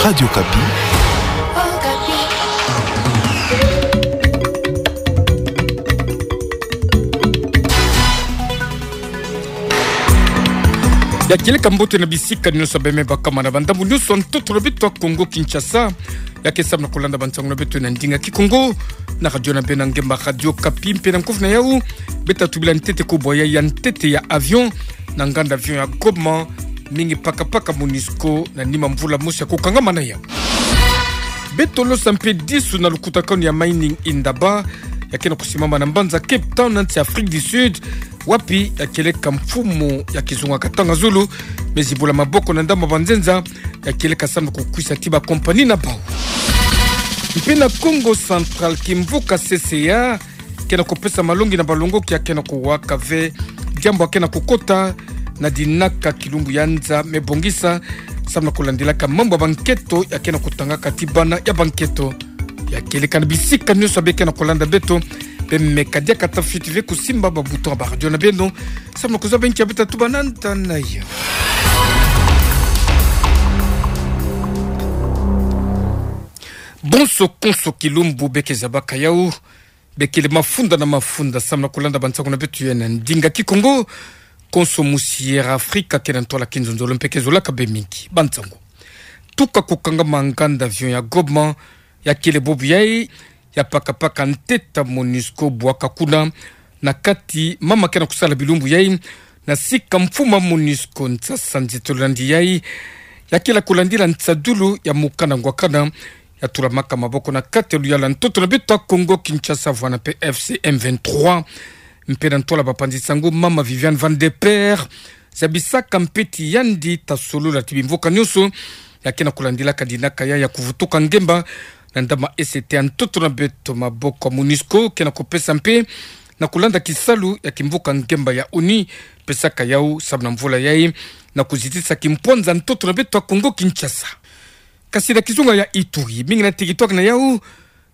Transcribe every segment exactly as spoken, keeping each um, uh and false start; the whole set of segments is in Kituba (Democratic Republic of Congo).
Radio Okapi. Ya kieleka mbote na bisika nyonso bembe bakama na bandambu nyonso ntoto na beto ya Kongo Kinshasa. Ya ke samu na kolanda bansangu na beto na ndinga Kikongo na radio na beno ngemba Radio Okapi mpe na nkofu na yau. Beta tubila ntete kubwa ya, ya ntete ya avion na nganda avion ya Goma, mingi pakapaka MONUSCO na nima mvula mosi ya kukangama na yau. Beto losa mpe disu na lukutakanu ya Mining Indaba, ya ke na kusimama na mbanza Cape Town na nsi Afrique du Sud, wapi ya kieleka mfumu ya kizunga katanga zulu, me zibula maboko na ndambu ya banzenza, ya kieleka samu na kukwisa ti ba compagnie na bau. Mpe na Kongo Central, kimvuka C C A ke na kupesa malongi na balongoki ya ke na kuwaka ve diambu ya ke na kukota na dinaka kilumbu ya nza me bongisa, samu na kulandilaka mambu ya banketo ya ke na kutangaka ti bana ya banketo. Ya kieleka na bisika nyonso beke na kolanda beto, bemeka diaka tafiti ve kusimba ba bouton ya ba radio na beno, samu na kuzaba nki ya beta tuba na nda na yau. Bonso konso kilumbu beke zabaka yau, bekele mafunda na mafunda samu na kolanda bansangu na beto ya na ndinga Kikongo. Konso musi Air Africa ke na ntwala kinzonzolo mpe ke zolaka be mingi. Bansangu. Tuka kukangama nganda avion ya Goma, ya kele bobu yai, ya pakapaka ntete MONUSCO bwaka kuna na kati, mama ke na kusala bilumbu yai na sika mfumu ya MONUSCO. Nsasa nzitolo nandi yai, ya kele kulandila nsadulu ya mukanda ngwakana ya tulamaka maboko na kati ya luyalu ya ntoto na beto ya Kongo Kinshasa vwanda mpe F C M vingt-trois. Mpe na ntwala bapanzi sangu, mama Viviane Van de Perre zabisaka mpe ti yandi ta solola ti bimvuka nyonso ya ke na kulandilaka dinaka ya, ya kuvutuka ngemba na ndambu ya ese ti ya ntoto na beto maboko ya MONUSCO ke na kupesa mpe na kulanda kisalu ya kimvuka ngemba ya ONU pesaka yau samu na mvula yai na kuzitisa kimpwanza ntoto na beto ya Kongo Kinshasa. Kasi na kizunga ya Ituri, mingi na tiki twaka na yau,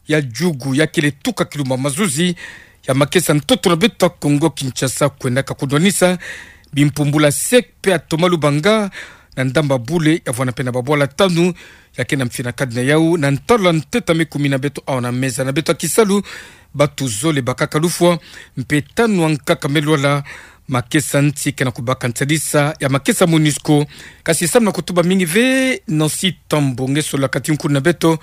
ya jugu ya kele tuka kilumbu ya mazuzi ya makesa ntoto na beto ya Kongo Kinshasa kwendaka kudwanisa bimpumbulu ya sec mpe ya Thomas Lubanga na ndambu ya bule ya vwanda mpe na babwala tanu ya ke na mfina kadi na yau na ntalwa ntete me kumi na beto awa na meza na beto ya kisalu. Bantu zole bakaka lufwa mpe tanu ankaka me lwala. Makesa nti ke na kubaka nsadisa ya makesa MONUSCO. Kasi samu na kutuba mingi ve, Nancy Tambo nge solaka ti nkulu na beto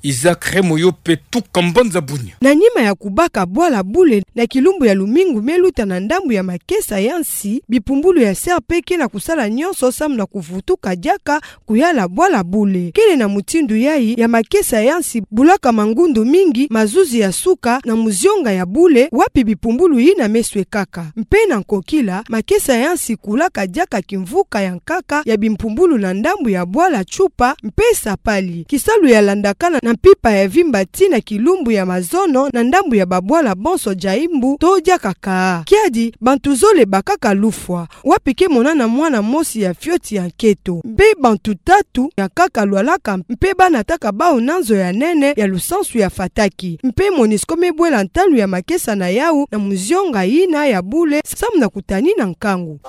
Isaac Remoyo mpe tuka mbanza Bunia. Na nima ya kubaka bwala bule na kilumbu ya lumingu me luta na ndambu ya makesa ya nsi, bipumbulu ya sec mpe ke na kusala nyonso samu na kuvutuka diaka kuyala bwala bule. Kele na mutindu yai ya makesa ya nsi bulaka mangundu mingi mazuzi ya suka na muzionga ya bule wapi bipumbulu yina me swekaka. Mpe na nkokila, makesa ya nsi kulaka diaka kimvuka ya nkaka ya bimpumbulu na ndambu ya bwala Tshupa mpe Sapali. Kisalu ya landakana na mpimpa ya vimba tii na kilumbu ya mazono na ndambu ya babwala bonso dia mbu to diaka kaa. Kiadi, bantu zole bakaka lufwa, wapi ke monana mwana mosi ya fioti ya nketo. Mpe bantu tatu ya nkaka lwalaka mpe banataka bau na nzo ya nene ya lusansu ya Fataki. Mpe MONUSCO me bwela ntalu ya makesa na yau na muzionga yina ya bule samu na kutanina nkangu.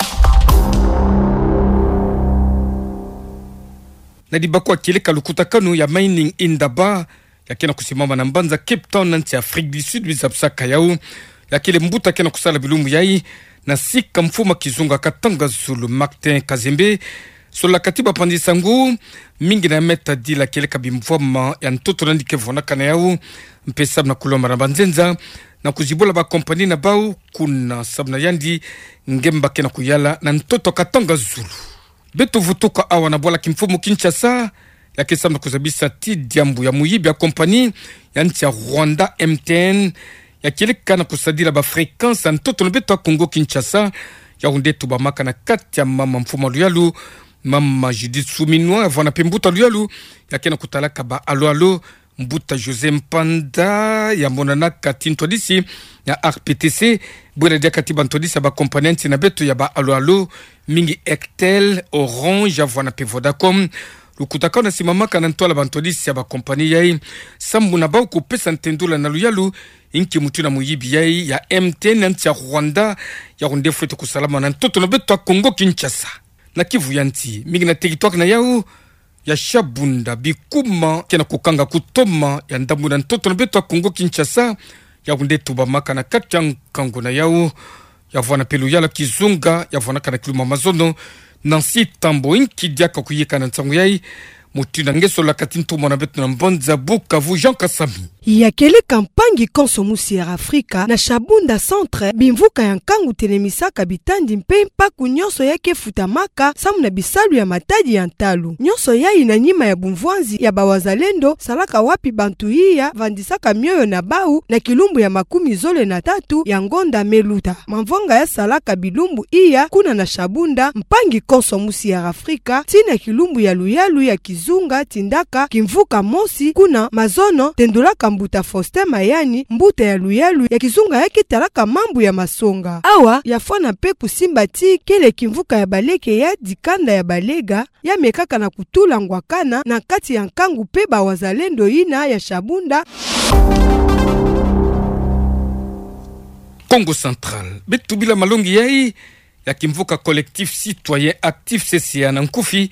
Na dibako ya kieleka lukutakanu ya Mining Indaba, ya ke na kusimama na mbanza Cape Town na nsi Afrique du Sud, bizabisaka yau, ya kele mbuta ke na kusala bilumbu yai na sika mfumu ya kizunga Katanga Zulu, Martin Kazembe, solaka ti bapanzi sangu mingi na meta dila kieleka bimvwama ya ntoto nandi ke vwanaka na yau, mpe samu na kulomba na banzenza na kuzibula ba compagnie na bau kuna, samu na yandi ngemba ke na kuyala na ntoto Katanga Zulu. Beto vutuka awa na bwala kimfumu Kinshasa, ya ke samu na kuzabisa ti diambu ya muyibi ya compagnie ya nsi ya Rwanda, M T N, ya kieleka na kusadila ba fréquence ya ntoto na beto ya Kongo Kinshasa. Yau nde tubamaka na kati ya mama mfumu ya luyalu, mama Judith Suminwa, ya vwanda mpe mbuta luyalu, ya ke na kutalaka ba alo-alo, mbuta José Mpanda, ya monanaka ti ntwadisi ya R P T C, bwela diaka ti bantwadisi ya ba compagnie ya nsi na beto ya ba alo-alo, mingi Airtel, Orange, ya vwanda mpe Vodacom. Lukutakanu na simamaka na ntwala bantwadisi ya ba compagnie yai, samu na bau kupesa ntendula na luyalu, inki mutu na muyibi yai ya M T N ya nsi ya Rwanda, yau nde fwete kusalama na ntoto na beto ya Kongo Kinshasa. Na Kivu ya nsi, mingi na tiki twaka na yau, ya Shabunda, bikuma ke na kukanga kutoma ya ndambu na ntoto na beto ya Kongo Kinshasa, yau nde tubamaka na kati ya nkangu na yau. Ya vwanda mpe luyala kizunga ya vwandaka na kilumbu ya mazono, Nancy Tambwe, inki diaka kuyika na nsangu yai, mutindu na ngeso la kati ntumwa na beto na mbanza Bukavu, Jean Kasami. Ya kieleka mpangi konso musi ya Afrika na Shabunda Centre, bimvuka ya nkangu telemisaka bitandi mpe mpaku nyonso ya ke futamaka samu na bisalu ya matadi ya ntalu. Nyonso yai na nima ya bumvwanzi ya bawazalendo salaka wapi bantu iya vandisaka mioyo na bau na kilumbu ya makumi zole na tatu ya ngonda me luta. Mamvwanga ya salaka bilumbu iya kuna na Shabunda, mpangi konso musi ya Afrika, tii na kilumbu ya luyalu ya kizunga tindaka kimvuka mosi kuna mazono, tendulaka mbuta Faustin Mayani, mbuta ya luyalu ya kizunga ya ke talaka mambu ya masonga. Awa ya fwana mpe kusimba tii kele kimvuka ya baleke ya dikanda ya balega, ya mekaka na kutula ngwakana na kati ya nkangu mpe bawazalendo yina ya Shabunda. Kongo Central, beto bila malongi yai ya kimvuka Collectif Citoyen Actif, C C A na nkufi,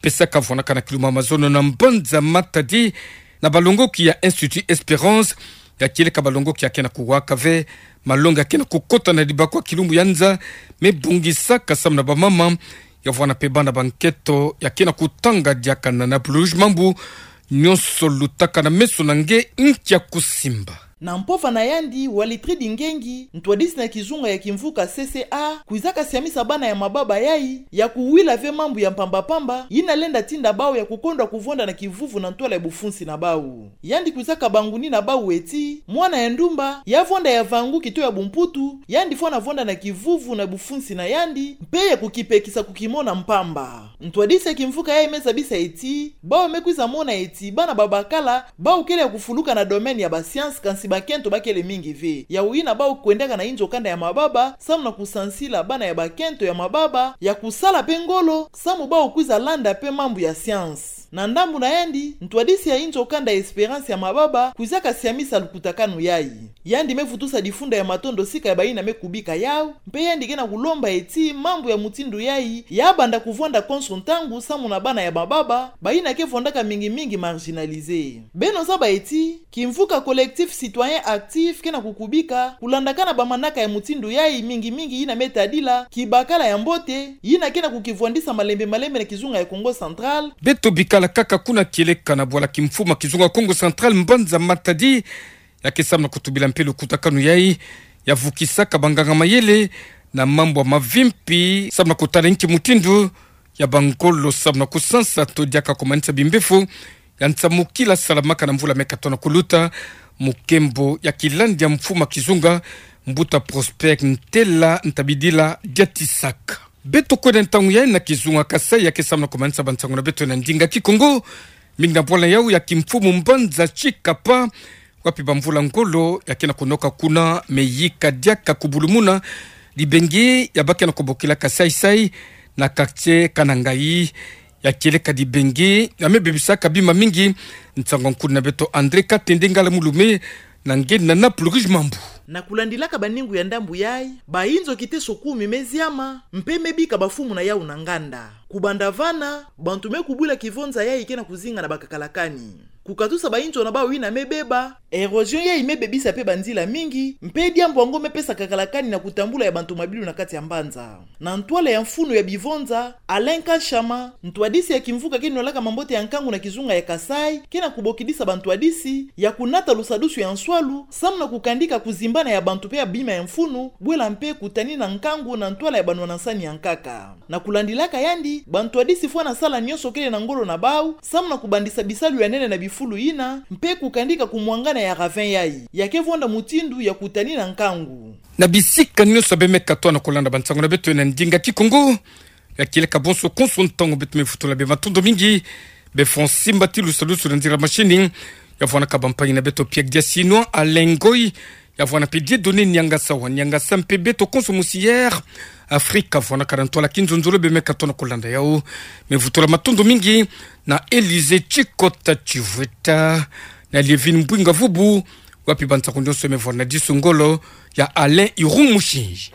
pesaka vwandaka na kilumbu ya mazono na mbanza Matadi, na balongoki ya Institut Espérance, ya kieleka balongoki ya ke na kuwaka ve malongi ya ke na kukota na dibakwa kilumbu ya nza, me bongisaka samu na bamama, ya vwanda mpe bana ba nketo ya ke na kutanga diaka na Nappes Rouge. Mambu nyonso lutaka na meso na nge, inki ya kusimba. Na mpova na yandi, Walitrid Ngengi, ntwadisi na kizunga ya kimvuka C C A, kwizaka siamisa bana ya mababa yai ya kuwila ve mambu ya mpamba-mpamba yina lenda tinda bau ya kukondwa kuvwanda na kivuvu na ntwala ya bufunsi na bau. Yandi kwizaka banguni na bau eti, mwana ya ndumba ya vwanda ya vangu kito ya bumputu, yandi fwana vwanda na kivuvu na bufunsi na yandi, mpe ya kukipekisa kukimona mpamba. Ntwadisi ya kimvuka yai me zabisa eti, bau me kwiza mona eti bana babakala, bau kele ya kufuluka na domaine ya ba science, kansi bakento ba kele mingi ve. Yau yina bau kwendaka na inzo kanda ya mababa samu na kusansila bana ya bakento ya mababa ya kusala mpe ngolo samu bau kwiza landa mpe mambu ya science. Na ndambu na yandi, ntwadisi ya inzo kanda Espérance ya mababa kwizaka siamisa lukutakanu yai. Yandi me vutusa difunda ya matondo sika ya bayina me kubika yau, mpe yandi ke na kulomba eti mambu ya mutindu yai ya banda kuvwanda konso ntangu samu na bana ya mababa, bayina ke vwandaka mingi-mingi marginalisés. Beno zaba eti, kimvuka Collectif Citoyen Actif ke na kukubika kulandakana bamanaka ya mutindu yai, mingi-mingi yina me tadila kibakala ya mbote, yina ke na kukivwandisa malembe-malembe na kizunga ya Kongo Central. Beto bikala kaka kuna kieleka na bwala kimfumu ya kizunga Kongo Central, mbanza Matadi, ya ke samu na kutubila mpe lukutakanu yai ya vukisaka banganga-mayele na mambu ya mavimpi samu na kutala inki mutindu ya bangolo samu na kusansa to diaka kumanisa bimbefo ya nsamukila salamaka na mvula me katono kuluta, mu nkembo ya kilandi ya mfumu ya kizunga, mbuta Prosper Ntela Ntabidila Diatisaka. Beto kwenda ntangu yai na kizunga Kasaï, ya ke samu na kumanisa bansangu na beto na ndinga Kikongo, mingi na bwala yau ya kimfumu mbanza Tshikapa, wapi bamvula ngolo ya ke na kunoka kuna me yika diaka kubulumuna dibengi ya ba ke na kubokilaka saï-saï na quartier Kanangayi. Ya kieleka dibengi ya me bebisaka bima mingi. Nsangu-nkundi na beto André Katende Ngala Mulume, na nge na Nappes Rouge. Mambu. Na kulandilaka baningu ya ndambu yai, bainzo kiteso kumi me ziama, mpe me bika bafumu na yau na nganda. Kubanda vana, bantu me kubula kivonza yai ke na kuzinga na bakakalakani. Kukatusa bainzo na bau yina me beba, érosion yai me bebisa mpe banzila mingi, mpe diambu yango me pesa kakalakani na kutambula ya bantu mabilu na kati ya mbanza. Na ntwala ya mfunu ya bivonza, Alain Kashama, ntwadisi ya kimvuka ke nolaka mambote ya nkangu na kizunga ya Kasaï, ke na kubokidisa bantwadisi ya kunata lusadusu ya nswalu, samu na kukandika kuzimbana ya bantu mpe ya bima ya mfunu, bwela mpe kutanina nkangu na ntwala ya banwana-nsani ya nkaka. Na kulandilaka yandi, bantwadisi fwana sala nyonso kele na ngolo na bau, samu na kubandisa bisalu ya nene na bifulu yina, mpe kukandika kumwangana ya ravin yai, ya ke vonda mutindu ya kutanina nkangu. Na bisika nyonso beno me katoa na kulanda bansangu na beto na ndinga Kikongo, ya kieleka bonso konso ntangu, beto me vutula beno matondo mingi. Beno fwa nsimba ti lusadusu na nzila machine, ya vwanaka bampangi na beto Pierre Diasinois, Alain Ngoyi, ya vwana mpe Dieudonné Niangasa wa Niangasa, mpe beto konso musi Air Afrique, ya vwanaka na ntwala kinzonzolo, beno me katoa na kulanda yau. Me vutula matondo mingi na Élysée Tshikota Tshivweta, na Lievine Mbwinga Vubu, wapi bansangu nyonso me vwana disu ngolo ya Alain Irung Mushinji.